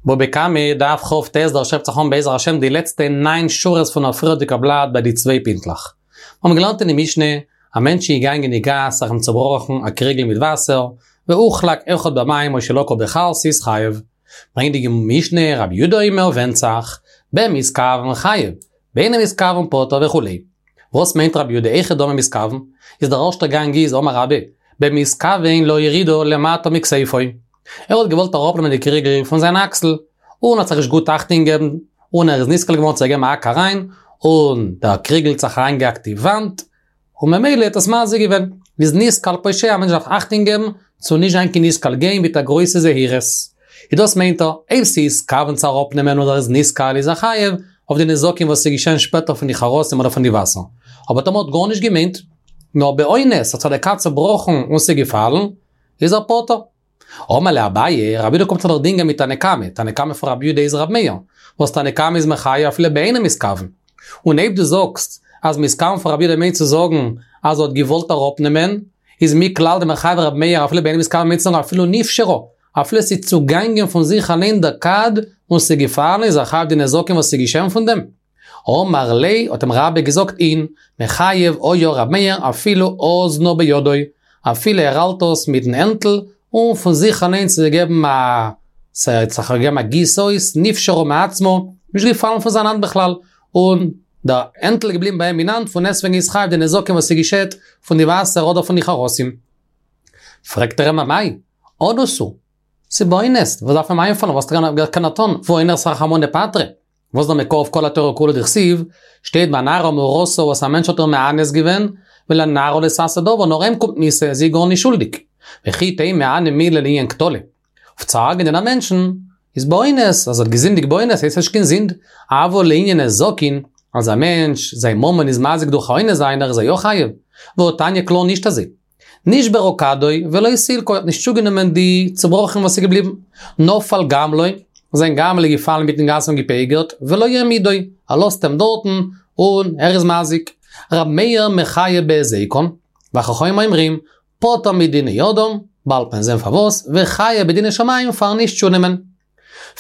בבא קמא, דף כ"ט, דא הייבט זיך אן בעזר השם די לעצטע ניין שורות פון א פריערדיגע בלאט ביי די צוויי פינטלעך. מיר האבן געלערנט אין די משנה, א מענטש איז געגאנגען אין די גאס זיך אים צובראכן א קריגל מיט וואסער, והוחלק אחד במים או שלקה בחרסית חייב. ברענגט די משנה רבי יודא אומר ווענדט זיך, במתכוון חייב, באינו מתכוון פטור וכו'. וואס מיינט רבי יודא היכי דמי מתכוון? איז דער ערשטער גאנג איז אמר רבה, במתכוון להורידה למטה מכתפו. ער האט געוואלט אראפנעמען די קריגל פון זיין אקסל, און האט זיך נישט גוט אכטונג געבן, און ער איז נתקל געווארן צו געבן א האק אריין, און דער קריגל האט זיך אריינגעהאקט אין וואנט, און ממילא האט עס מזיק געווען. איז נתקל פושע, א מענטש דארף אכטונג געבן צו נישט זיין קיין נתקל, גיין מיט א גרויסע זהירות. איז דאס מיינט ער, אויב ס'איז כוון צו אראפנעמען און ער איז נתקל איז ער חייב אויף די נזקים וואס איז געשען שפעטער פון די חרסים אדער פון די וואסער. אבער טאמער האט גארנישט געמיינט, נאר באונס האט זיך דער כד צובראכן און ס'איז געפאלן, איז ער פטור. אמר ליה אביי, רבי יהודה קומט זיך דאך דינגען מיט תנא קמא, תנא קמא פון רבי יהודה איז רבי מאיר, וואס תנא קמא איז מחייב אפילו באינו מתכוון. און אויב דו זאגסט אז מתכוון פון רבי יהודה מיינט צו זאגן אז ער האט געוואלט אראפנעמען, איז מכלל דמחייב רבי מאיר אפילו באינו מתכוון מיינט צו זאגן אפילו נפשרה, אפילו ס'איז צוגאנגען פון זיך אליין דער כד און ס'איז געפאלן איז ער חייב די נזקים וואס איז געשען פון דעם. אמר ליה, האט אים רבה געזאגט אין, מחייב היה ר' מאיר אפילו אזנה בידו, אפילו ער האלט עס מיטן הענטל, און פון זיך אליינס איז געגעבן א, ס'האט זיך געגעבן א גיס אויס, נפשרה מעצמו, נישט געפאלן פון זיין האנט בכלל, און דער הענטל איז געבליבן ביי אים אין האנט, פון דעסטוועגן איז חייב די נזקים וואס ס'געשעט פון די וואסער אדער פון די חרסים. פרעגט ער אים אמאי, אנוס הוא, ס'איז באונס, וואס דארף אים איינפאלן, וואס קען ער טון, ואונס רחמנא פטריה. וואס דער מקור אויף כל התורה כולה דכתיב, שטייט ביי נערה המאורסה וואס א מענטש האט איר מאנס געווען, ולנערה לא תעשה דבר, נאר אים קומט מיתה, זי איז גארנישט שולדיג. וכי תימא הני מילי לענין קטלא. אויף צו הרג'נען א מענטשן, איז באונס, אז ער האט געזינדיגט באונס הייסט נישט קיין זינד, אבל לענין נזקין, אז א מענטש, זיין ממון איז מזיק דורך א אונס זיינער איז ער יא חייב. והתניא קלאר נישט אזוי. נשברה כדו ולא סילקה, ער האט נישט צוגענומען די צובראכן וואס איז געבליבן. נפל גמלו, זיין גמל איז געפאלן אינמיטן גאס און געפגר'ט, ולא העמידו, ער לאזט אים דארטן, און ער איז מזיק. ר' מאיר מחייב בהזיקן, וחכמים אומרים, פטור מדיני אדם, באלד וועט מען זען פארוואס, וחייב בדיני שמים פארן נישט צונעמען.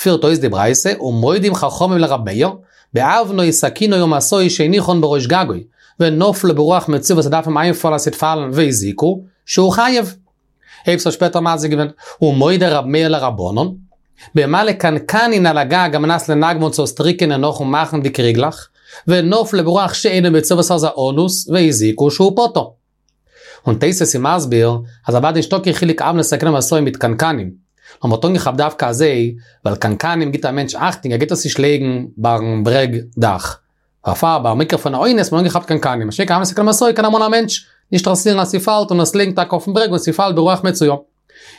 פירט אויס די ברייתא, ומודים חכמים לר' מאיר, באבנו סכינו ומשאו שהניחן בראש גגו, ונפלו ברוח מצויה וואס ס'דארף אים איינפאלן אז ס'וועט פאלן והזיקו, שהוא חייב. אויב ס'האט שפעטער מזיק געווען, ומודה ר' מאיר לרבנן, במעלה קנקנין על הגג על מנת לנגבן צו עס טריקענען נאכן מאכן די קריגלעך, ונפלו ברוח שאינה מצויה וואס איז א אנוס, והזיקו שהוא פטור. און תוס' איז מסביר אז אוודאי נישטא קיין חילוק אבנו סכינו ומשאו מיט קנקנים, נאר מ'האט אנגעכאפט דווקא אזוי ווייל קנקנים גיבט א מענטש אכטונג ער גייט עס נישט לייגן ביים ברעג דאך, דערפאר ביי מקרה פון א אונס האט מען אנגעכאפט קנקנים, משא"כ אבנו סכינו ומשאו קען אמאל א מענטש נישט אינטערעסירן אז ס'פאלט און עס לייגן טאקע אויפן ברעג און ס'פאלט ברוח מצויה.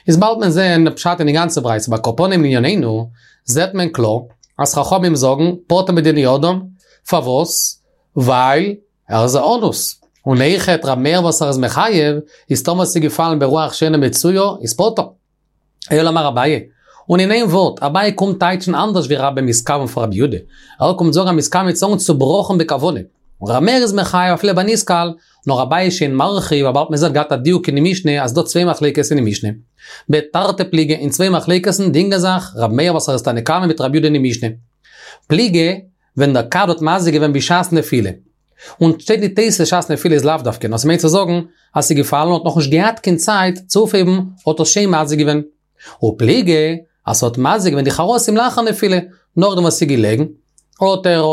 איז באלד מען זעהן פשט אין די גאנצע ברייתא, אבער על כל פנים לענינינו זעהט מען קלאר אז חכמים זאגן פטור מדיני אדם, פארוואס? ווייל ער איז א אנוס, און אויכעט ר' מאיר וואס ער איז מחייב, איז טאמער ס'איז געפאלן ברוח שאינה מצויה, איז פטור. אלא אמר אביי, און אין איין ווארט, אביי קומט טייטשן אנדערש ווי רבה מתכוון פון רבי יהודה, ער קומט זאגן אז מתכוון מיינט צו זאגן צובראכן בכוונה, און ר' מאיר איז מחייב אפילו בנתקל, נאר אביי איז שוין מרחיב, וויבאלד מ'זעט געהאט א דיוק אין די משנה אז ס'דא צוויי מחלוקת אין די משנה. בתרתי פליגי, אין צוויי מחלוקת'ן דינגען זיך ר' מאיר וואס ער איז תנא קמא מיט רבי יהודה אין די משנה. פליגי, ווען דער כד האט מזיק געווען בשעת נפילה. און שטייט אין תוס' שעת נפילה איז לאו דווקא, נאר ס'מיינט צו זאגן אז ס'איז געפאלן און האט נאכנישט געהאט קיין צייט צו אויפהייבן האט עס שוין מזיק געווען. ופליגי אז ס'האט מזיק געווען די חרסים לאחר נפילה, נאכדעם וואס ס'איז געלעגן, האט ער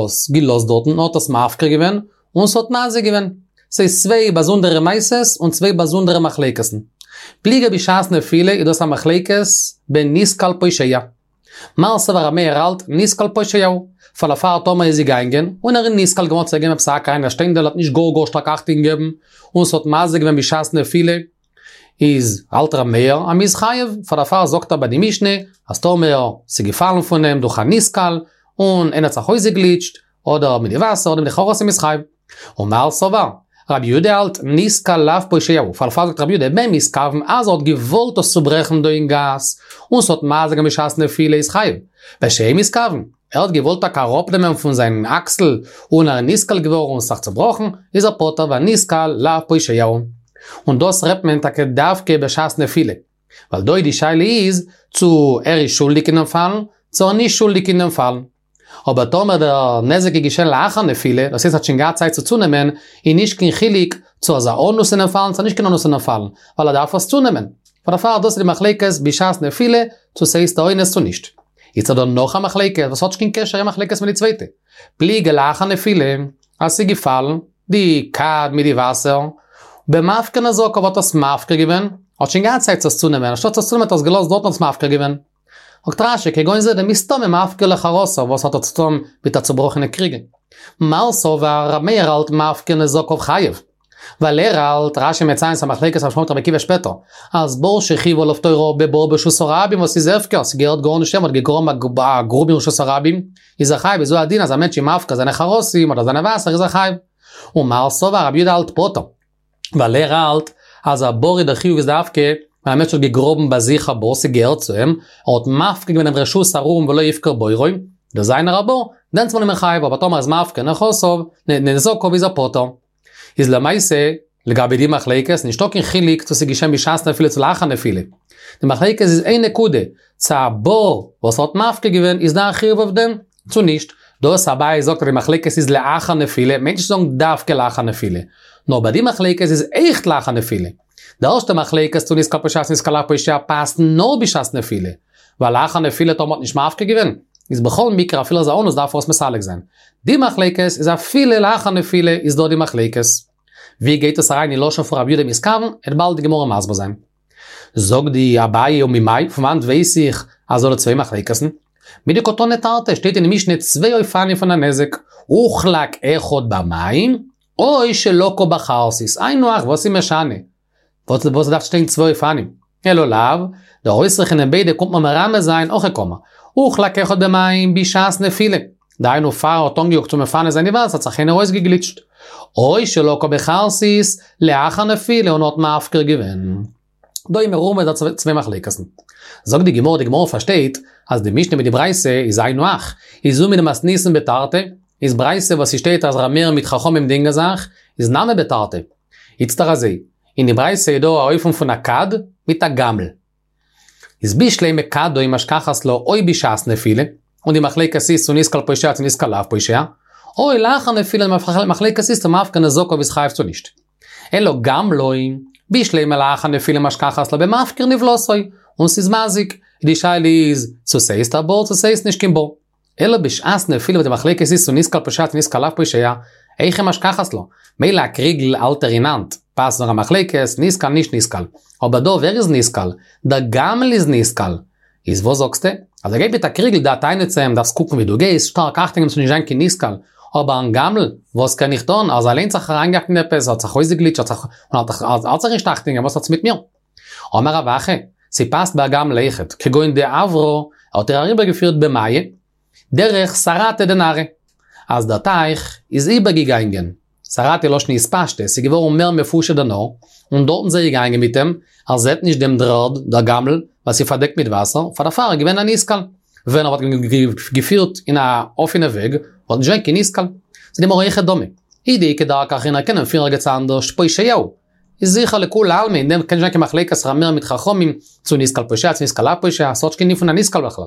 עס געלאזט דארטן און האט עס מפקיר געווען, און ס'האט מזיק געווען. ס'איז צוויי באזונדערע מעשות און צוויי באזונדערע מחלוקת'ן. פליגי בשעת נפילה איז דאס א מחלוקת בנתקל פושע. מר סבר ר' מאיר האלט נתקל פושע הוא, פאר דערפאר טאמער איז געגאנגען, און ער איז נתקל געווארן צו געבן עפעס א האק אריין א שטיינדעל האט נישט גאר גאר שטארק אכטונג געגעבן, און ס'האט מזיק געווען בשעת נפילה, איז האלט ר' מאיר אז מ'איז חייב, פאר דערפאר זאגט ער ביי די משנה, אז טאמער ס'איז געפאלן פון אים דורך א נתקל, און איינער האט זיך אויסגעגליטשט, אדער מיט די וואסער אדער מיט די חרסים איז חייב. ומר סבר, רבי יהודה האלט נתקל לאו פושע הוא, פאר דערפאר זאגט רבי יהודה במתכוון אז ער האט געוואלט עס צוברעכן דא אין גאס, און ס'האט מזיק געווען בשעת נפילה איז חייב. בשאין מתכוון, ער האט געוואלט טאקע אראפנעמען פון זיין אקסל און ער איז נתקל געווארן און ס'זיך צובראכן, איז ער פטור ווייל נתקל לאו פושע הוא. און דאס רעדט מען טאקע דווקא בשעת נפילה. ווייל דא די שאלה איז צו ער איז שולדיג אינעם פאלן, צו ער איז נישט שולדיג אין דעם פאלן. אבער טאמער דער נזק איז געשען לאחר נפילה, דאס הייסט ער האט שוין געהאט צייט צו צונעמען, איז נישט קיין חילוק צו ער איז א אנוס אינעם פאלן צו נישט קיין אנוס אינעם פאלן, ווייל ער דארף עס צונעמען. פאר דערפאר דאס איז די מחלוקת בשעת נפילה צו ס'הייסט א אונס צו נישט. איצט איז דא נאך א מחלוקת וואס האט נישט קיין קשר איין מחלוקת מיט די צווייטע. פליגי לאחר נפילה, אז ס'איז געפאלן די כד מיט די וואסער, במפקיר נזקיו האט עס מפקיר געווען, האט שוין געהאט צייט צו עס צונעמען, אנשטאט עס צונעמען האט ער עס געלאזט דארט און עס מפקיר געווען. זאגט רש"י כגון זה דמסתמא מפקיר לחרותיו, וואס האט ער צו טון מיט א צובראכענע קריגל? מר סבר ר' מאיר האלט מפקיר נזקיו חייב. ווייל ער האלט, רש"י מציין ס'א מחלוקת רבי ישמעאל מיט רבי עקיבא שפעטער, אז בור שחייבו עליו תורה בבור ברשות הרבים וואס איז הפקר, ס'געהערט גארנישט אים, האט געגראבן א גרוב אין רשות הרבים, איז ער חייב, איז הוא הדין אז א מענטש איז מפקיר זיינע חרסים אדער זיינע וואסער איז ער חייב. ומר סבר רבי יהודה האלט פטור. ווייל ער האלט אז א בור איז דער חיוב איז דווקא ווען א מענטש האט געגראבן ביי זיך א בור ס'געהערט צו אים, ער האט מפקיר געווען דעם רשות ארום ולא הפקיר בורו, דאס זיינער א בור, דענסמאל איז מען חייב, אבער טאמער איז מפקיר נכסיו, נזקיו איז ער פטור. איז למעשה, לגבי די מחלוקת, נישטא קיין חילוק צו ס'איז געשען בשעת נפילה צו לאחר נפילה. די מחלוקת איז איין נקודה, צו א בור וואס ער האט מפקיר געווען איז דא א חיוב אויף דעם, צו נישט. דאס אביי זאגט אז די מחלוקת איז לאחר נפילה, מיינט נישט צו זאגן דווקא לאחר נפילה. נאר ביי די מחלוקת איז עכט לאחר נפילה. די ערשטע מחלוקת צו נתקל פושע צו נתקל לאו פושע פאסט נאר בשעת נפילה. ווייל לאחר נפילה טאמער האט נישט מפקיר געווען, איז בכל מקרה אפילו איז א אנוס דארף ער עס מסלק זיין. די מחלוקת איז אפילו לאחר נפילה איז דא די מחלוקת. ווי גייט עס אריין אין לשון פון רבי יהודה מתכוון, עט באלד די גמרא מסביר זיין. זאגט די אביי וממאי, פון וואנט ווייס איך אז ס'דא צוויי מחלוקת'ן? מדקתני תרתי, שטייט אין די משנה צוויי אופנים פון א נזק, הוחלק אחד במים, או שלקה בחרסית, היינו הך, וואס איז משנה? וואס וואס דארף שטיין צוויי אופנים? אלא לאו, דער אויסרעכענען ביידע קומט מיר מרמז זיין הכי קאמר, הוחלק אחד במים בשעת נפילה, דהיינו פאר ער האט אנגעיאגט צו מפנה זיין די וואסער האט זיך איינער אויסגעגליטשט, או שלקה בחרסית לאחר נפילה און האט מפקיר געווען. דא איז מרומז דא צוויי מחלוקת'ן. זאגט די גמרא, די גמרא פארשטייט אז די משנה מיט די ברייתא איז היינו הך, איז זו מדמתניתין בתרתי, איז ברייתא וואס ס'שטייט אז ר' מאיר מיט חכמים דינגען זיך, איז נמי בתרתי. איצטער אזוי, אין די ברייתא איז דא א אופן פון א כד מיט א גמל. איז בשלמא כדו משכחת לה או בשעת נפילה, און די מחלוקת איז צו נתקל פושע צו נתקל לאו פושע, או לאחר נפילה די מחלוקת איז צו מפקיר נזקיו איז חייב צו נישט. אלא גמלו, בשלמא לאחר נפילה משכחת לה במפקיר נבלתו, און ס'איז מזיק, די שאלה איז צו ס'הייסט א בור צו ס'הייסט נישט קיין בור. אלא בשעת נפילה וואס די מחלוקת איז צו נתקל פושע צו נתקל לאו פושע, היכי משכחת לה, מילא א קריגל האלט ער אין האנט, פאסט נאר א מחלוקת, נתקל נישט נתקל. אבער דא ווער איז נתקל? דער גמל איז נתקל. איז וואס זאגסטו? אז ער גייט מיט א קריגל דא טענה'ט צו אים דארפסט קוקן ווי דו גייסט, שטארק אכטונג געבן ס'זאל נישט זיין קיין נתקל. אבער אן גמל, וואס קען איך טון? ער איז אליינס זיך אריינגעהאקט אין עפעס, האט זיך אויסגעגליטשט, האט זיך, און האלט זיך נישט אכטונג געבן, וואס האטס מיט מיר? אמר רב אחא, ס'פאסט ביי א גמל אויכעט, כגון דעברה, האט ער אריבערגעפירט במיא, דרך סרתא דנהרא, אז דער טייך איז איבערגעגאנגען, סרתא לשון התפשטות, ס'איז געווארן מער מפושט דער נהר, און דארטן זיי געגאנגען מיט אים, ער זעט נישט דעם דר'ערד, דער גמל, ווייל ס'איז פארדעקט מיט וואסער, פאר דערפאר איז געווען א נתקל. ווען ער וואלט געפירט אין א אפענע וועג, וואלט נישט געווען קיין נתקל. זאגט די גמרא היכי דמי. אי דאיכא דרכא אחרינא קען מען פירן ערגעץ אנדערש, פושע הוא. איז זיכער לכולי עלמא, אין דעם קען נישט זיין קיין מחלוקת ר' מאיר מיט חכמים, צו נתקל פושע צו נתקל לאו פושע, ס'האט נישט קיין דין פון א נתקל בכלל.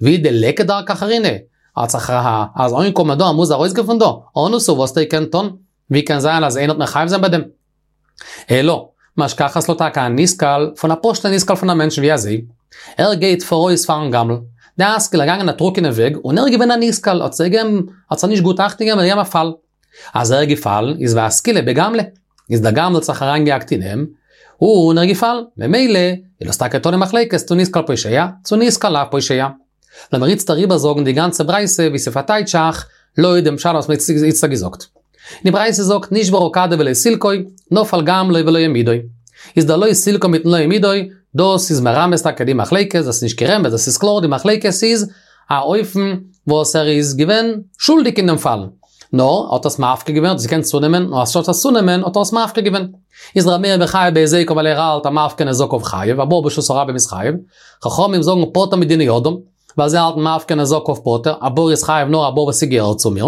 ואי דליכא דרכא אחרינא, האט זיך ר ה אז אנגעקומען דא ער מוז ארויסגיין פון דא, אנוס הוא וואס ער קען טון, ווי קען זיין אז איינער וועט מחייב זיין ביי דעם? אלא, משכחת לה טאקע א נתקל פון א פשוט'ע נתקל פון א מענטש ווי אזוי? ער גייט פאראויס פארן גמל, דאסקיל ער געגאנגען א טרוקענע וועג און ער איז געווען א נתקל האט זיך געגעבן האט זיך נישט גוט אכטונג געגעבן און געגעבן א פאל. אז ער איז געפאלן איז ואסקיליה בגמלא, איז דער גמל האט זיך אריינגעהאקט אין אים, און ער איז געפאלן, ממילא איז דאס טאקע תלוי מחלוקת צו נתקל פושע, צו נתקל לאו פושע. לאמיר איצט אריבערזאגן די גאנצע ברייתא ווי ס'פארטייטשט זיך לויט דעם פשט וואס מ'האט איצטער געזאגט. די ברייתא זאגט נשברה כדו ולא סילקו, נפל גמלו ולא העמידו. איז דער לא סילקו מיטן לא העמידו, דאס איז מרמז טאקע די מחלוקת, דאס איז נישט קיין רמז, דאס איז קלאר די מחלוקת איז א אופן וואס ער איז געווען שולדיג אין דעם פאל, נאר האט עס מפקיר געווען, האט עס געקענט צונעמען, און אנשטאט עס צונעמען האט ער עס מפקיר געווען. איז ר' מאיר מחייב בהזיקו ווייל ער האלט אז מפקיר נזקיו חייב, א בור ברשות הרבים איז חייב. חכמים זאגן פטור מדיני אדם, ווייל זיי האלטן מפקיר נזקיו פטור, א בור איז חייב נאר א בור וואס ס'געהערט צו מיר.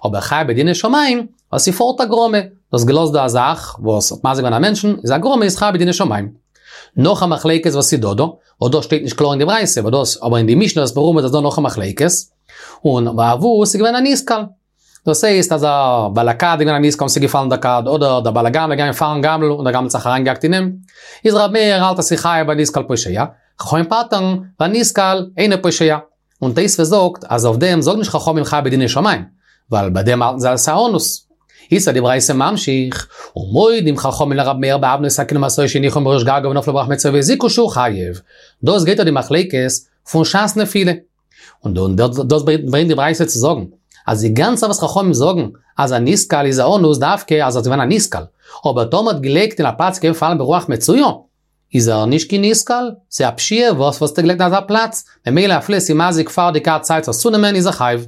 אבער חייב בדיני שמים, ווייל ס'פארט א גרמא, דו האסט געלאזט דא א זאך וואס האט מזיק געווען א מענטשן, איז א גרמא איז חייב בדיני שמים. נאך א מחלוקת וואס איז דא דא, וואס דאס שטייט נישט קלאר אין די ברייתא, אבער דאס, אבער אין די משנה איז מרומז אז דא נאך א מחלוקת, און וואו ס'איז געווען א נתקל. דאס הייסט אז דער בעל הכד איז געווען א נתקל און ס'איז געפאלן דער כד, אדער דער בעל הגמל איז געגאנגען פארן גמל און דער גמל האט זיך אריינגעהאקט אין אים, איז ר' מאיר האלט אז ס'איז חייב והנתקל פושע, חכמים פטר'ן, והנתקל אינו פושע. און תוספות זאגט אז אויף דעם זאגן נישט חכמים חייב בדיני שמים, ווייל ביי דעם האלטן זיי אז ס'איז א אנוס. איז די ברייתא ממשיך, ומודים חכמים לר' מאיר באבני סכין ומשאו שהניחו מראש גגו ונפלו ברוח מצויה והזיקו שהוא חייב. דאס גייט אויף די מחלוקת פון שעת נפילה. און דאס ברענגט די ברייתא צו זאגן, אז די גאנצע וואס חכמים זאגן אז א נתקל איז א אנוס דווקא אז ער איז געווען א נתקל, אבער טאמער האט געלייגט אין א פלאץ קען פאלן ברוח מצויה, איז ער נישט קיין נתקל, ס'איז א פשיעה וואס וואלסטו געלייגט אין אזא פלאץ, ממילא אפילו ס'איז מזיק פאר די כד צייט עס צונעמען איז ער חייב.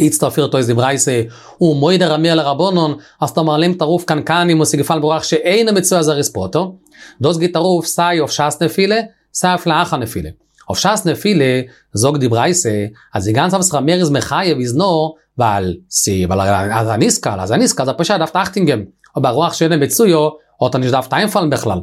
איצטער פירט אויס די ברייתא, ומודה ר' מאיר לרבנן, אז טאמער ער נעמט ארויף קנקנים און ס'איז געפאלן ברוח שאינה מצויה אז ער איז פטור. דאס גייט ארויף סיי אויף שעת נפילה, סיי אויף לאחר נפילה. אויף שעת נפילה זאגט די ברייתא אז די גאנצע וואס ר' מאיר איז מחייב איז נאר ווייל ס'איז ווייל ער איז א נתקל, אז א נתקל איז א פושע דארף אכטונג געבן, אבער רוח שאינה מצויה האט ער נישט דארפט איינפאלן בכלל.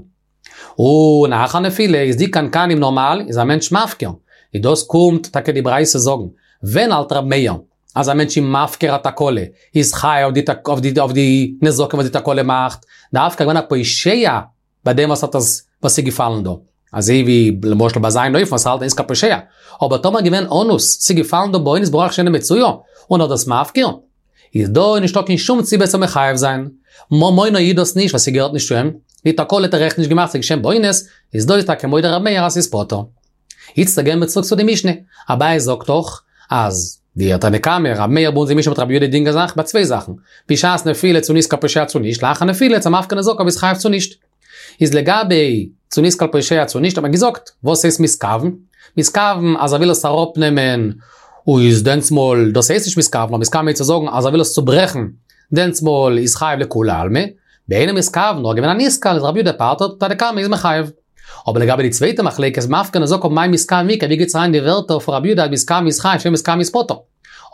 און לאחר נפילה איז די קנקנים נארמאל איז א מענטש מפקיר, איז דאס קומט טאקע די ברייתא זאגן, ווען האלט ר' מאיר אז א מענטש איז מפקיר א תקלה איז חייב אויף די אויף די נזקים וואס די תקלה מאכט, דווקא געווען א פושע ביי דעם וואס האט עס וואס איז געפאלן דא, אזוי ווי למשל ביי זיין אופן וואס ער האלט הנתקל פושע, אבער טאמער געווען אנוס, ס'איז געפאלן דא באונס ברוח שאינה מצויה, און ער האט דאס מפקיר, איז דא נישטא קיין שום סיבה צו מחייב זיין. ממונו איז דאס נישט ווייל ס'געהערט נישט צו אים, די תקלה האט ער עכט נישט געמאכט ס'איז געשען באונס, איז דא איז טאקע מודה ר' מאיר אז ס'איז פטור. איצטער גייען מיר צוריק צו די משנה, אביי זאגט דאך אז די תנא קמא, ר' מאיר ביי אונז אין משנה מיט רבי יהודה דינגען זיך ביי צוויי זאכן, בשעת נפילה צו נתקל פושע צו נישט, לאחר נפילה צו מפקיר נזקיו איז חייב צו נישט. איז לגבי צו נתקל פושע צו נישט האט מען געזאגט, וואס הייסט מתכוון? מתכוון אז ער וויל עס אראפנעמען איז דענסמאל דאס הייסט נישט מתכוון, נאר מתכוון מיינט צו זאגן אז ער וויל עס צוברעכן, דענסמאל איז חייב לכולי עלמא, באינו מתכוון נאר געווען א נתקל איז רבי יהודה פטר'ט, תנא קמא איז מחייב. אבער לגבי די צווייטע מחלוקת מפקיר נזקיו מאי מתכוון איכא ווי גייט אריין די ווערטער פון רבי יהודה אז מתכוון איז חייב שאינו מתכוון איז פטור.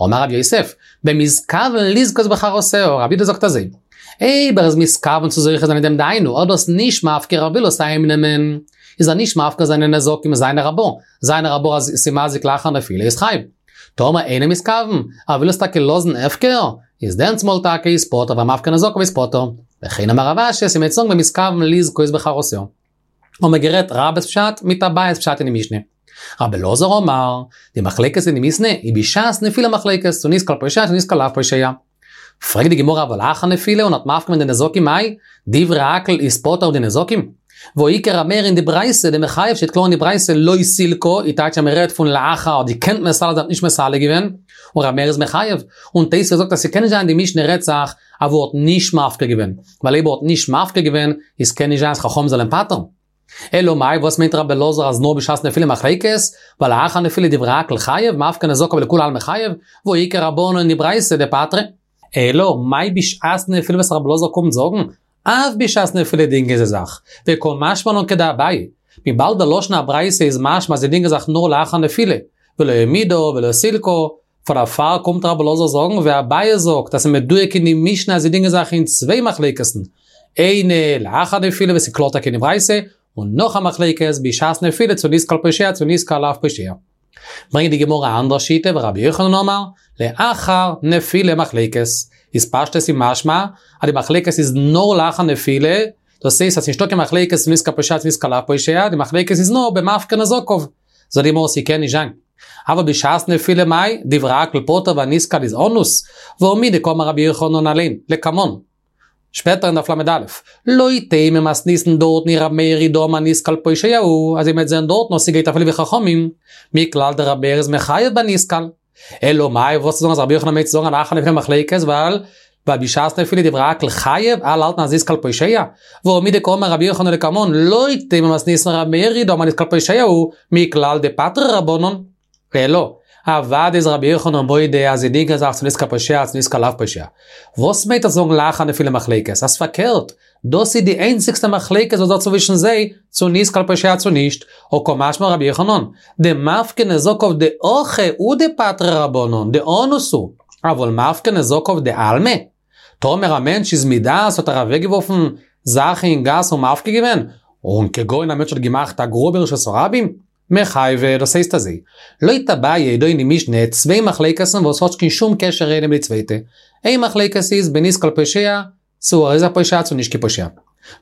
אמר רב יוסף, במתכוון לזכות בחרותיה, רבי יהודה זאגט אזוי, אויב ער איז מתכוון צו זוכה זיין אין דעם דהיינו ער איז דאס נישט מפקיר ער וויל עס אהיים נעמען, איז ער נישט מפקיר זיינע נזקים זיינער א בור, זיינער א בור אז ס'מזיק לאחר נפילה איז חייב. טאמער אינו מתכוון, ער וויל עס טאקע לאזן הפקר, איז דענסמאל טאקע איז פטור והמפקיר נזקיו איז פטור. וכן אמר רב אשי, ס'מיינט צו זאגן במתכוון לזכות בחרותיה. האבן מיר גערעדט רבה'ס פשט מיט אביי'ס פשט אין די משנה. רבי אלעזר אמר, די מחלוקת אין די משנה איז בשעת נפילה מחלוקת, צו נתקל פושע צו נתקל לאו פושע. פרעגט די גמרא אבל לאחר נפילה און האט מפקיר געווען די נזקים מאי, דברי הכל איז פטור אויף די נזקים? והא איכא ר' מאיר אין די ברייתא דמחייב שטייט קלאר אין די ברייתא לא סילקה, איז טייטש אז מען רעדט פון לאחר האט געקענט מסלק זיין האט נישט מסלק געווען, און ר' מאיר איז מחייב, און תוספות זאגט אז ס'קען נישט זיין די משנה רעדט זיך אז ער האט נישט מפקיר געווען, ווייל אויב ער האט נישט מפקיר געווען איז קען נישט זיין אז חכמים זאלען פטר'ן. אלא מאי וואס מיינט רבי אלעזר אז נאר בשעת נפילה מחלוקת, ווייל לאחר נפילה דברי הכל חייב, מפקיר נזקיו לכולי עלמא חייב, והא איכא רבנן אין די ברייתא דפטרי. אלא מאי בשעת נפילה וואס רבי אלעזר קומט זאגן, אף בשעת נפילה דינגען זיי זיך, וקא משמע לן כדאביי, וויבאלד דער לשון הברייתא איז משמע אז זיי דינגען זיך נאר לאחר נפילה, ולא העמידה ולא סילקה, פאר דערפאר קומט רבי אלעזר זאגן ווי אביי זאגט אז ס'איז מדויק אין די משנה אז זיי דינגען זיך אין צוויי מחלוקת'ן, איינע לאחר נפילה וואס איז קלאר טאקע אין די ברייתא, און נאך א מחלוקת בשעת נפילה צו נתקל פושע צו נתקל לאו פושע. ברענגט די גמרא א אנדערע שיטה ורבי יוחנן אמר, לאחר נפילה מחלוקת, איז פשטות איז משמע אז די מחלוקת איז נאר לאחר נפילה, דאס הייסט אז ס'נישטא קיין מחלוקת צו נתקל פושע צו נתקל לאו פושע, די מחלוקת איז נאר במפקיר נזקיו. זאגט די גמרא ס'קען נישט זיין. אבל בשעת נפילה מאי, דברי הכל פטור והנתקל איז אנוס, והא מדקאמר רבי יוחנן אליין, לקמן. שפעטער אין דף ל"א, לא תימא מתניתין דארטן ר' מאיר היא דאמר נתקל פושע הוא, אז מ'וועט זען דארטן אז ס'גייט אפילו ווי חכמים, מכלל דר' מאיר איז מחייב בנתקל. אלא מאי וואס צו זאגן אז רבי יוחנן מיינט צו זאגן אז לאחר נפילה מחלוקת ווייל ווייל בשעת נפילה דברי הכל חייב, אלע האלטן אז נתקל פושע, והא מדקאמר רבי יוחנן לקמן לא תימא מתניתין ר' מאיר היא דאמר נתקל פושע הוא, מכלל דפטרי רבנן. אלא, אוודאי איז רבי יוחנן מודה אז זיי דינגען זיך צו נתקל פושע צו נתקל לאו פושע. וואס מיינט ער זאגן לאחר נפילה מחלוקת? אז פארקערט, דאס איז די איינציגסטע מחלוקת וואס דא צווישן זיי, צו נתקל פושע צו נישט, הא קא משמע לן רבי יוחנן, דמפקיר נזקיו דהכא הוא דפטרי רבנן, דאנוס הוא, אבל מפקיר נזקיו דעלמא? טאמער א מענטש איז מדעת האט ער אוועקגעווארפן זאכן אין גאס און מפקיר געווען, און כגון א מענטש האט געמאכט א גרוב אין רשות הרבים, מחייבי, דאס הייסט אזוי, לויט אביי איז דא אין די משנה צוויי מחלוקת'ן וואס האט קיין שום קשר איינע מיט די צווייטע, איין מחלוקת איז בנתקל פושע, צו ער איז א פושע צו נישט קיין פושע.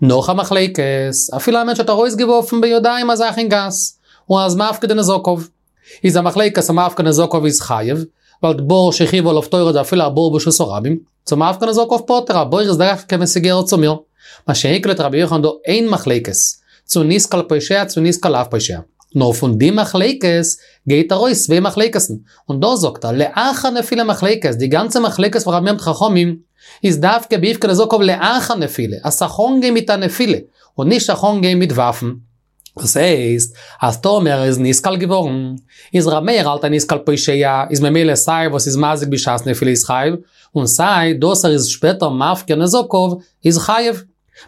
נאך א מחלוקת, אפילו א מענטש האט ארויסגעווארפן בידיים א זאך אין גאס, און ער איז מפקיר די נזקיו, איז א מחלוקת צו מפקיר נזקיו איז חייב, ווייל די בור שחייבה עליו תורה איז אפילו א בור ברשות הרבים, צו מפקיר נזקיו פטור, א בור איז דווקא ווען ס'געהערט צו מיר. מה שאין כן לויט רבי יוחנן דא איין מחלוקת, צו נתקל פושע צו נתקל לאו פושע. נאר פון די מחלוקת גייט ארויס צוויי מחלוקת'ן, און דא זאגט ער לאחר נפילה מחלוקת, די גאנצע מחלוקת פון רבי מאיר מיט חכמים איז דווקא בהפקיר נזקיו לאחר נפילה, אז ס'זאל אנגיין מיט א נפילה, און נישט זיך אנגיין מיט ווארפן. דאס הייסט, אז טאמער ער איז נתקל געווארן, איז ר' מאיר האלט אז נתקל פושע, איז ממילא סיי וואס איז מזיק בשעת נפילה איז חייב, און סיי דאס ער איז שפעטער מפקיר נזקיו איז חייב.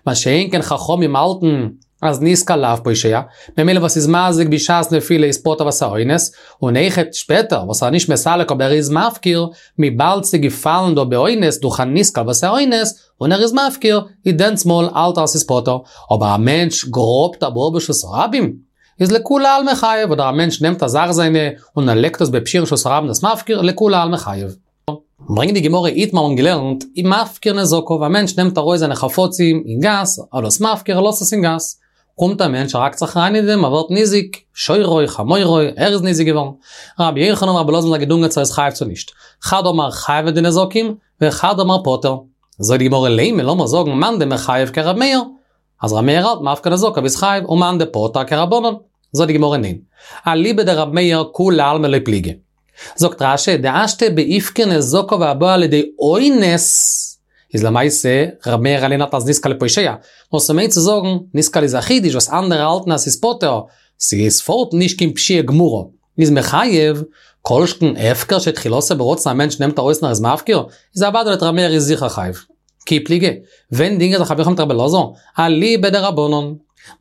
מה שאין כן חכמים האלטן אז נתקל לאו פושע, ממילא וואס איז מזיק בשעת נפילה איז פטור ווייל ס'איז א אונס, און אויכעט שפעטער וואס ער איז נישט מסלק אבער ער איז מפקיר, וויבאלד ס'איז געפאלן דא באונס דורך א נתקל וואס איז א אונס, און ער איז מפקיר, איז דענסמאל האלט ער אז ס'איז פטור, אבער א מענטש גראבט א בור ברשות הרבים, איז לכולי עלמא חייב, אדער א מענטש נעמט א זאך זיינע און ער לייגט עס בפשיעה אין רשות הרבים דאס מפקיר, לכולי עלמא חייב. ברענגט די גמרא איתמר האבן געלערנט, מפקיר נזקיו, א מענטש נעמט ארויס זיינע חפצים אין גאס, ער דאס מפקיר ער לאזט עס אין גאס, קומט א מענטש ער האקט זיך אריין אין דעם ער ווערט ניזוק, שורו חמורו, ער איז ניזוק געווארן, רבי יוחנן און רבי אלעזר זענען געדונגען צו ער איז חייב צו נישט, חד אמר חייב די נזקים, וחד אמר פטור. זאגט די גמרא לימא לאמיר זאגן מאן דמחייב כרב מאיר, אז ר' מאיר האלט מפקיר נזקיו איז חייב ומאן דפטר כרבנן. זאגט די גמרא ניין. אליבא דרב מאיר כולי עלמא לא פליגי. זאגט רש"י דהשתא בהפקיר נזקיו הבא על ידי אונס, איז למעשה ר' מאיר אליין האלט אז נתקל פושע, נאר ס'מיינט צו זאגן נתקל איז א חידוש וואס אנדערע האלטן אז ס'איז פטור, ס'איז פארט נישט קיין פשיעה גמורה, איז מחייב, כל שכן הפקר שתחילתו ברצון א מענטש נעמט ארויס און ער איז מפקיר, איז אוודאי לויט ר' מאיר איז זיכער חייב. כי פליגי, ווען דינגען זיך רבי יוחנן מיט רבי אלעזר? אליבא דרבנן.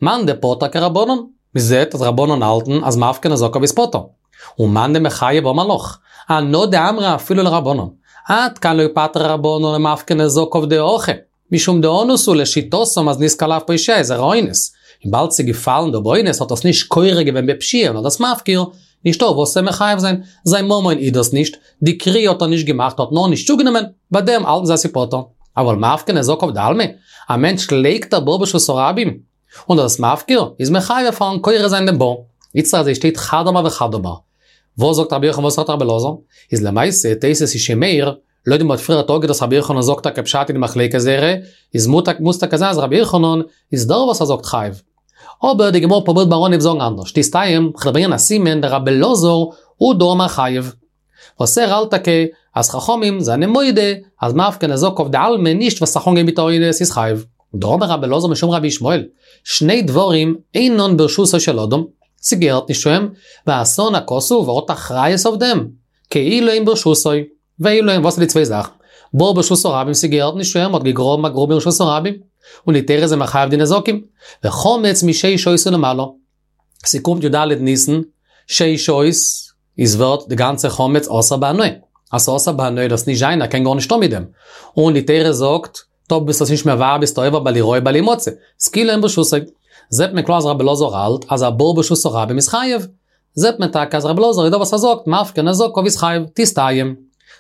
מאן דפטר כרבנן, מ'זעט אז רבנן האלטן אז מפקיר נזקיו איז פטור. ומאן דמחייב אמר לך, אנא דאמרי אפילו לרבנן. עד כאן לא פטרי רבנן למפקיר נזקיו דהכא, משום דאנוס הוא לשיטתם אז נתקל לאו פושע איז ער א אונס. וויבאלד ס'איז געפאלן דא באונס האט עס נישט כורע געווען בפשיעה נאר דאס מפקיר, נישטא וואס צו מחייב זיין, זיין ממון איז דאס נישט, די כרייה האט ער נישט געמאכט האט נאר נישט צוגענומען, ביי דעם האלטן זיי אז ס'איז פטור. אבל מפקיר נזקיו דעלמא, א מענטש לייגט א בור ברשות הרבים, און דאס מפקיר, איז מחייב פארן כורה זיין דעם בור. איצטער אזוי שטייט חד אמר וחד אמר. וואס זאגט רבי יוחנן וואס זאגט רבי אלעזר? איז למעשה תוס' איז שוין מעיר, לויט ווי מ'האט פריער אפגעהאט אז רבי יוחנן זאגט טאקע פשט אין די מחלוקת זייערע, איז מוז טאקע זיין אז רבי יוחנן איז דער וואס ער זאגט חייב. אבער די גמרא פרובירט ביים אנהייב זאגן אנדערש, תסתיים, כ'וועל ברענגען א סימן דרבי אלעזר הוא דאמר חייב. וואס ער האלט טאקע אז חכמים זענען מודה אז מפקיר נזקיו דעלמא נישט וואס זיך אנגיין מיט א אונס איז חייב. דאמר רבי אלעזר משום רבי ישמעאל, שני דברים אינן ברשותו של אדם, ס'געהערט נישט צו אים, ועשאן הכתוב, ער האט אחריות אויף דעם, כאילו הן ברשותו. ואלו הן, וואס איז די צוויי זאכן? בור ברשות הרבים ס'געהערט נישט צו אים, מ'האט געגראבן א גרוב ברשות הרבים, און די תורה איז אים מחייב די נזקים. וחמץ משש שעות ולמעלה. ס'קומט י"ד ניסן, שש שעות, איז ווערט די גאנצע חמץ אסור בהנאה. אז ס'אסור בהנאה איז דאס נישט זיין, ער קען גארנישט טון מיט דעם. און די תורה זאגט, טאמער ביסט עס נישט מבער ביסטו עובר בל יראה בל ימצא. ס'כאילו הן ברשותו. זעט מען קלאר אז רבי אלעזר האלט אז א בור ברשות הרבים איז חייב. זעט מען טאקע אז רבי אלעזר איז דער וואס ער זאגט מפקיר נזקיו איז חייב, תסתיים.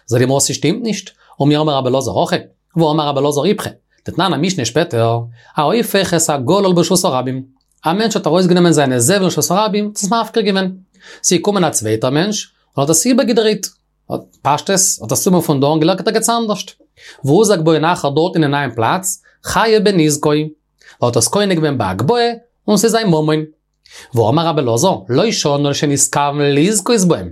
זאגט די גמרא ס'שטימט נישט, ומי אמר רבי אלעזר הכי, והאמר רבי אלעזר איפכא, דתנן א משנה שפעטער, ההופך את הגלל ברשות הרבים, א מענטש האט ארויסגענומען זיינע זבל רשות הרבים, עס מפקיר געווען. ס'איז געקומען א צווייטער מענטש, און האט עס איבערגעדרייט, פשטות, האט עס צומאל פון דא און געלערנט ערגעץ אנדערשט. והוזק בהן אחר דארט אין א נייעם פלאץ, חייב בנזקו. האט עס קונה געווען בהגבהה, און ס'איז זיין ממון. ואמר רבי אלעזר, לא שנו אלא שנתכוון לזכות בהם.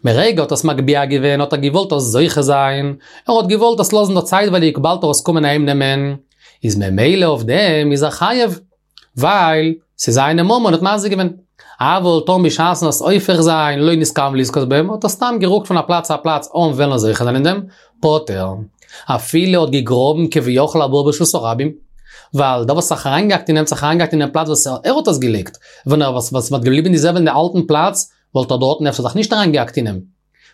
מרגע האט עס מגביה געווען האט ער געוואלט עס זוכה זיין, ער האט געוואלט עס לאזן דא צייטווייליג באלד ער עס קומען אהיים נעמען, איז ממילא אויף דעם איז ער חייב, ווייל ס'איז זיינע ממון האט מזיק געווען. אבל טאמער בשעת'ן עס הופך זיין לא נתכוון לזכות בהם האט ער סתם גערוקט פון א פלאץ צו א פלאץ אן וועלן זוכה זיין אין דעם, פטור. אפילו האט געגראבן כביכול א בור ברשות הרבים, ווייל דער וואס האט זיך אריינגעהאקט אין אים האט זיך אריינגעהאקט אין דעם פלאץ וואס ער האט עס געלייגט, ווען ער וואס וואלט געבליבן די זבל אין די אלטן פלאץ, וואלט ער דארטן אפשר זיך נישט אריינגעהאקט אין אים.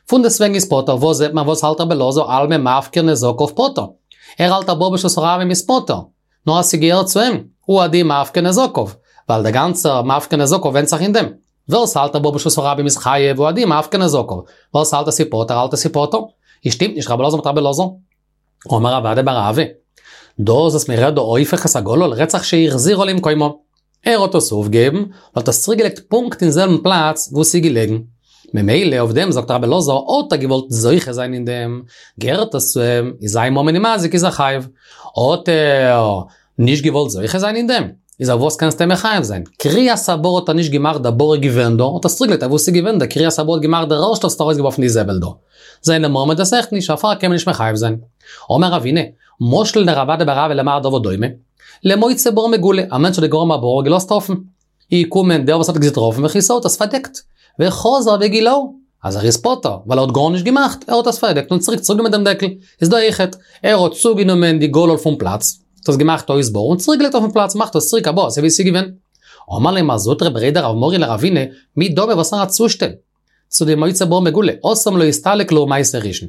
פונדעסטוועגן איז פטור, וואס זעט מען וואס האלט רבי אלעזר אלמא מפקיר נזקיו פטור. ער האלט א בור ברשות הרבים איז פטור. נאר אז ס'געהערט צו אים, הוא הדין מפקיר נזקיו. ווייל דער גאנצער מפקיר נזקיו ווענדט זיך אין דעם. ווער ס'האלט א בור ברשות הרבים איז חייב והוא הדין מפקיר נזקיו. ווער ס'האלט אז ס'פטור האלט אז ס'פטור. איז שטימט נישט רבי אלעזר מיט רבי אלעזר. אמר רב אדא בר אהבה. דאס וואס מ'רעדט דא הופך את הגולל רעדט זיך שהחזירו למקומו. ער האט עס אויפגעהויבן און האט עס צוריקגעלייגט פונקט אין זעלבן פלאץ וואו ס'איז געלעגן. ממילא אויף דעם זאגט רבי אלעזר האט ער געוואלט זוכה זיין אין דעם, געהערט עס צו אים, איז זיין ממון איז מזיק איז ער חייב. האט ער נישט געוואלט זוכה זיין אין דעם, איז אויף וואס קענסטו אים מחייב זיין? כריית הבור האט ער נישט געמאכט דער בור איז געווען דא, האט עס צוריקגעלייגט אוואו ס'איז געווען, דער כריית הבור האט געמאכט דער ערשטער וואס האט ארויסגעווארפן די זבל דא. זיינע ממון דאס אויכעט נישט, דערפאר קען מען נישט מחייב זיין. אמר רבינא, משל דרב אדא בר אהבה למר דבר דומה, למוצא בור מגולה, א מענטש האט געגראבן א בור און געלאזט אפן. איז געקומען דער וואס האט געטראפן וכסהו האט עס פארדעקט. וחזר וגילהו. אז ער איז פטור, ווייל ער האט גארנישט געמאכט, ער האט עס פארדעקט און צוריק צוגענומען דעם דעקל. איז דא אויכעט, ער האט צוגענומען די גולל פון פלאץ, האט עס געמאכט אויס בור און צוריק געלייגט אויפן פלאץ, מאכט עס צוריק א בור אזוי ווי עס איז געווען. אמר ליה מר זוטרא בריה דרב מרי לרבינא, מי דמי וואס פאר א צושטעל? צו די מוצא בור מגולה, התם לא אסתלק להו מעשה ראשון.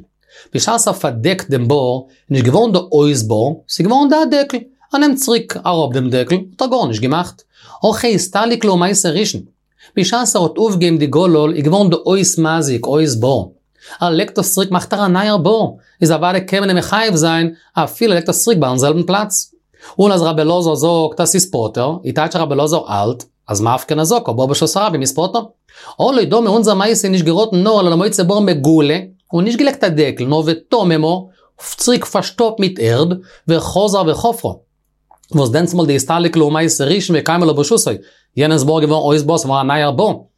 בשעת ער פארדעקט דעם בור, איז נישט געווארן דא אויס בור, ס'איז געווארן דא א דעקל. ער נעמט צוריק אראפ דעם דעקל, האט ער גארנישט געמאכט. הכא אסתלק להו מעשה ראשון. בשעת ער האט אויפגעהויבן די גולל איז געווארן דא אויס מזיק, אויס בור. ער לייגט עס צוריק מאכט ער א נייער בור, איז אוודאי קען מען אים מחייב זיין אפילו ער לייגט עס צוריק ביים זעלבן פלאץ. און אז רבי אלעזר זאגט אז ס'איז פטור, איז טייטש רבי אלעזר האלט אז מפקיר נזקיו בור ברשות הרבים איז פטור. הא לא דמי אונזער מעשה איז נישט געראטן נאר אלא למוצא בור מגולה, און נישט געלייגט א דעקל נאר וטממה, צוריק פארשטאפט מיט ערד, וחזר וחפרה. וואס דענסמאל דאסתלק להו מעשה ראשון וקיימא ליה ברשותו, יענעמס בור געווארן אויס בור ס'געווארן א נייער בור.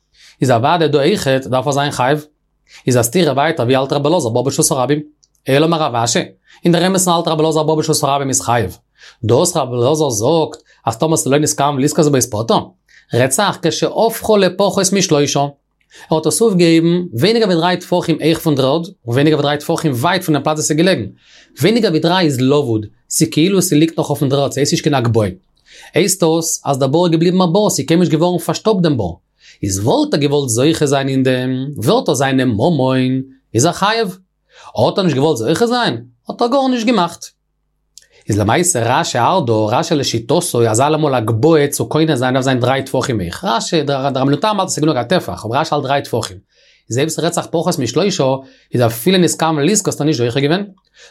איז אוודאי דא אויכעט דארף ער זיין חייב. איז א סתירה ווייטער ווי האלט רבי אלעזר בור ברשות הרבים? אלא אמר רב אשי, אין דער אמת'ן האלט רבי אלעזר בור ברשות הרבים איז חייב. דאס רבי אלעזר זאגט אז טאמער ס'לא נתכוון לזכות בו איז פטור, רעדט זיך כשהפכו לפחות משלושה. ער האט עס אויפגעהויבן ווייניגער ווי דריי טפחים הויך פון דר'ערד, און ווייניגער ווי דריי טפחים ווייט פון דעם פלאץ וואו ס'איז געלעגן. ווייניגער ווי דריי איז לבוד, ס'איז כאילו ס'ליגט נאך אויפן דר'ערד, ס'הייסט נישט קיין הגבהה. הייסט דאס אז דער בור איז געבליבן א בור, ס'איז קיינמאל נישט געווארן פארשטאפט דעם בור. איז וואלט ער געוואלט זוכה זיין אין דעם, ווערט עס זיינע ממון, איז ער חייב. האט ער נישט געוואלט זוכה זיין, האט ער גארנישט געמאכט. איז למעשה רש"י האלט דא, רש"י לשיטתו אז אלעמאל הגבהה צו קונה זיין דארף זיין דריי טפחים הויך, רש"י, דער רבינו תם האלט אז ס'איז גענוג א טפח, אבער רש"י האלט דריי טפחים. איז אויב ס'רעדט זיך פחות משלושה, איז אפילו נתכוון לזכות האט ער נישט זוכה געווען.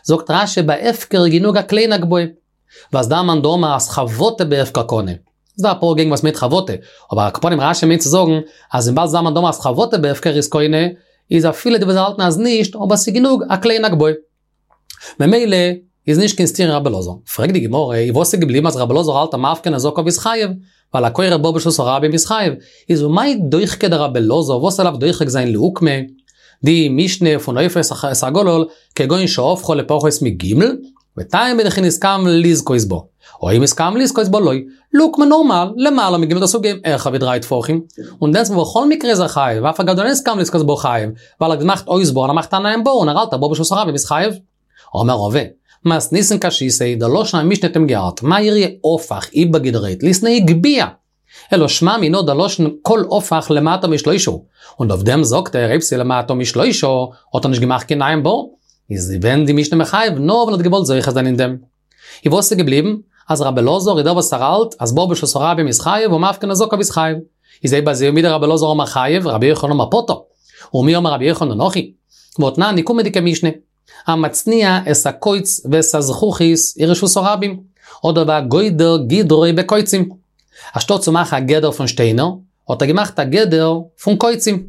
זאגט רש"י ביי הפקר איז גענוג א קליינע הגבהה. ווייל ס'דא א מאן דאמר אז חבטה בהפקר קנה. ס'דא אפאר געגנט וואס מיינט חבטה, אבער על כל פנים רש"י מיינט צו זאגן אז וויבאלד ס'דא א מאן דאמר אז חבטה בהפקר איז קונה, איז אפילו די וואס האלטן אז נישט, אבער ס'איז גענוג א קליינע הגבהה. ממילא איז נישט קיין סתירה רבי אלעזר. פרעגט די גמרא, איז וואס איז געבליבן אז רבי אלעזר האלט אז מפקיר נזקיו איז חייב, ווייל הכורה בור ברשות הרבים איז חייב, איז ומאי דוחקיה דרבי אלעזר וואס ער דארף דוחק זיין לאוקמא, די משנה פון הופך את הגולל כגון שהפכו לפחות מג' וטעמא דכי נתכוון לזכות בו, או אם נתכוון לזכות בו לא, לאוקמא נארמאל, למעלה מג' דאס אויפגעהויבן העכער ווי דריי טפחים, און דענסמאל בכל מקרה איז ער חייב, ואף על גב דלא נתכוון לזכות בו חייב, ווייל ער האט געמאכט אויס בור און ער מאכט א נייעם בור און ער האלט א בור ברשות הרבים איז חייב. אמר רבא, מתניתין קשיתיה, דער לשון המשנה האט אים געארט, מאי איריא הפך, איבערגעדרייט, ליתני הגביה. אלא שמע מינה דער לשון כל הפך למטה משלושה, און אויף דעם זאגט ער אויב ס'איז למטה משלושה האט ער נישט געמאכט קיין נייעם בור, איז ווען די משנה מחייב נאר ווייל ער האט געוואלט זוכה זיין אין דעם. איז וואס איז געבליבן? אז רבי אלעזר איז דער וואס ער האלט אז בור ברשות הרבים איז חייב און מפקיר נזקיו איז חייב. איז אויב אזוי ומדרבי אלעזר אמר חייב, רבי יוחנן אמר פטור. ומי אמר רבי יוחנן הכי? והתנן די קומענדיגע משנה. המצניע את הקוץ ואת הזכוכית אין רשות הרבים, אדער והגודר גדרו בקוצים. אנשטאט צו מאכן א גדר פון שטיינער, האט ער געמאכט א גדר פון קוצים.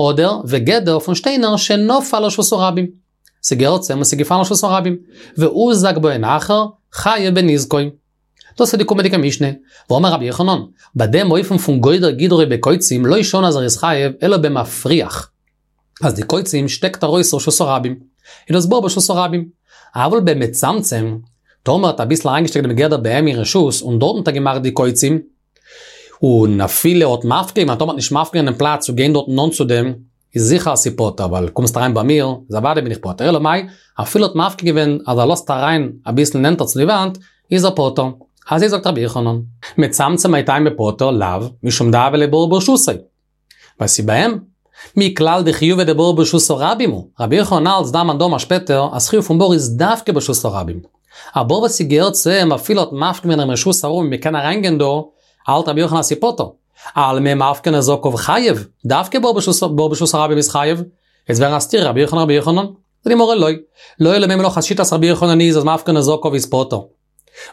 אדער וגדר פון שטיינער שנפל לרשות הרבים. ס'געהערט צו אים און ס'געפאלן לרשות הרבים. והוזק בהן אחר, חייב בנזקו. דאס איז די קומענדיגע משנה. ואמר רבי יוחנן, ביי דעם אופן פון גודר גדרו בקוצים לא שנו אז ער איז חייב אלא במפריח. אז די קוצים שטעקט ארויס רשות הרבים, איז דאס בור ברשות הרבים. אבל במצמצם, טאמער האט אביסל אריינגעשטעקט דעם גדר ביי אים אין רשות און דארטן האט ער געמאכט די קוצים, און אפילו האט מפקיר געווען, טאמער האט נישט מפקיר געווען דעם פלאץ צו גיין דארטן נאנט צו דעם, איז זיכער אז ס'איז פטור, ווייל קומסט אריין ביי מיר, איז אוודאי בין איך פטור, אלא מאי, אפילו האט מפקיר געווען אז ער לאזט אריין אביסל נענטער צו די וואנט, איז ער פטור. אזוי זאגט רבי יוחנן. מצמצם מאי טעמא פטור לאו, משום דהוה ליה בור ברשותו. ווייל ס'איז ביי אים. מכלל דחיובא דבור ברשות הרבים הוא, רבי יוחנן האלט ס'דא א מאן דאמר שפעטער אז חיוב פון בור איז דווקא ברשות הרבים. א בור וואס ס'געהערט צו אים אפילו האט מפקיר געווען דעם רשות ארום מ'קען אריינגיין דא, האלט רבי יוחנן אז ס'איז פטור. אלמא מפקיר נזקיו חייב, דווקא בור ברשות הרבים איז חייב. וועט ווערן א סתירה רבי יוחנן רבי יוחנן. זאגט די גמרא לא. לעולם אימא לך אז שיטת רבי יוחנן איז אז מפקיר נזקיו איז פטור.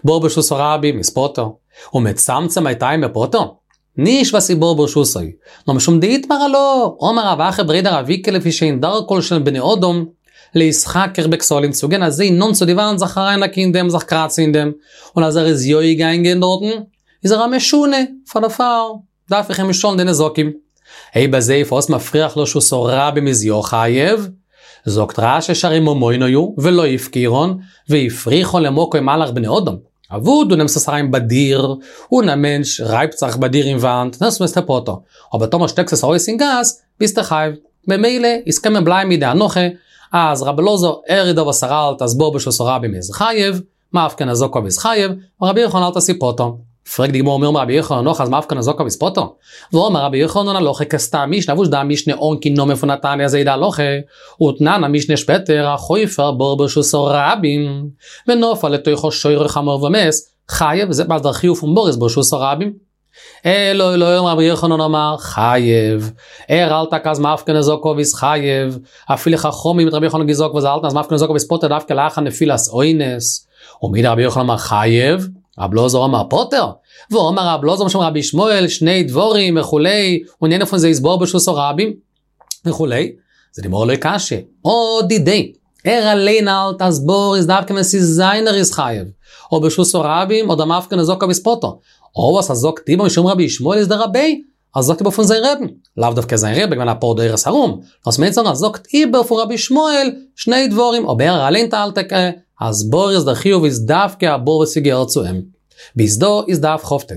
בור ברשות הרבים איז פטור. ומצמצם מאי טעמא פטור? נישט ווייל ס'איז בור ברשותו, נאר משום דאיתמר עלה, אמר רב אחא בריה דרב איקא לפי שאין דרכן של בני אדם להתחכך בכתלים צו גיין אזוי נאנט צו די וואנט זיך אריינהאקן אין דעם זיך קראצן אין דעם, און אז ער איז יא געגאנגען דארטן איז ער א משונה, פאר דערפאר דארף איך אים נישט צאלן די נזקים. אויב אזוי פארוואס מפריח לרשות הרבים איז יא חייב? זאגט רש"י שהרי ממונו הוא ולא הפקירן והפריחן למקום מהלך בני אדם, אוואו דו נעמסט עס אריין ביי דיר, און א מענטש רייבט זיך ביי דיר אין וואנט, דעמאלטס ביסטו פטור, אבער טאמער שטעקסט עס ארויס אין גאס, ביסטו חייב. ממילא איז קען מען בלייבן מיט די הנחה אז רבי אלעזר ער איז דער וואס ער האלט אז בור ברשות הרבים איז חייב, מפקיר נזקיו איז חייב, און רבי יוחנן האלט אז ס'איז פטור. פרעגט די גמרא ומי אמר רבי יוחנן נאך אז מפקיר נזקיו איז פטור? והאמר רבי יוחנן הלכה כסתם משנה וואס די משנה אן קיין נאמען פון א תנא אזוי די הלכה, ותנן א משנה שפעטער החופר בור ברשות הרבים ונפל לתוכו שור או חמור ומת, חייב, זעט מען אז דער חיוב פון בור איז ברשות הרבים. אלא לעולם רבי יוחנן אמר חייב, ער האלט טאקע אז מפקיר נזקיו איז חייב, אפילו חכמים מיט רבי יוחנן געזאגט וואס זיי האלטן אז מפקיר נזקיו איז פטור דווקא לאחר נפילת אונס, ומדרבי יוחנן אמר חייב, רבי אלעזר אמר פטור, והאמר רבי אלעזר משום רבי ישמעאל שני דברים וכו', און איינער פון זיי איז בור ברשות הרבים וכו', זאגט די גמרא לא קשיא, הא דידיה, ער אליין האלט אז בור איז דווקא ווען ס'איז זיינער איז חייב, אבער ברשות הרבים אדער מפקיר נזקיו איז פטור, הא וואס ער זאגט איבער משום רבי ישמעאל איז דרביה, ער זאגט איבער פון זיין רעבן, לאו דווקא זיין רבי געווען אפאר דורות ארום, נאר ס'מיינט זאגן ער זאגט איבער פון רבי ישמעאל שני דברים, אבער ער אליין האלט טאקע אז בור איז דער חיוב איז דווקא א בור וואס ס'געהערט צו אים. ביז דא איז דף כ"ט.